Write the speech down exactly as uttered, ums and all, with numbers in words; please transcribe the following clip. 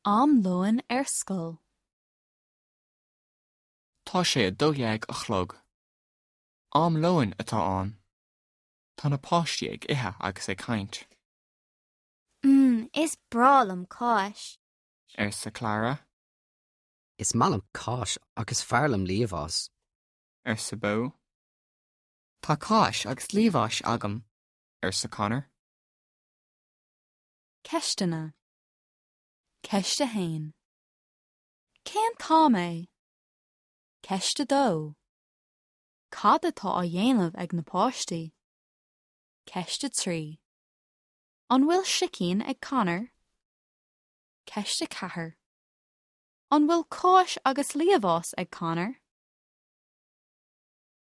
Am lóin ar scoil. Tá sé a dó dhéag a chlog. Am lóin atá ann. Tá na páistí ag ithe agus ag caint. Mm, is breá liom cáis. Arsa Clara, Is maith liom cáis agus is fearr liom liamhás. arsa Bo. Tá cáis agus liamhás agam, arsa Connor. Ceisteanna. Ceist a haon. Cén t-am é? Ceist a dó. Cad atá á dhéanamh ag na páistí? Ceist a trí. An bhfuil sicín ag Connor? Ceist a ceathair. An bhfuil cáis agus liamhás ag Connor?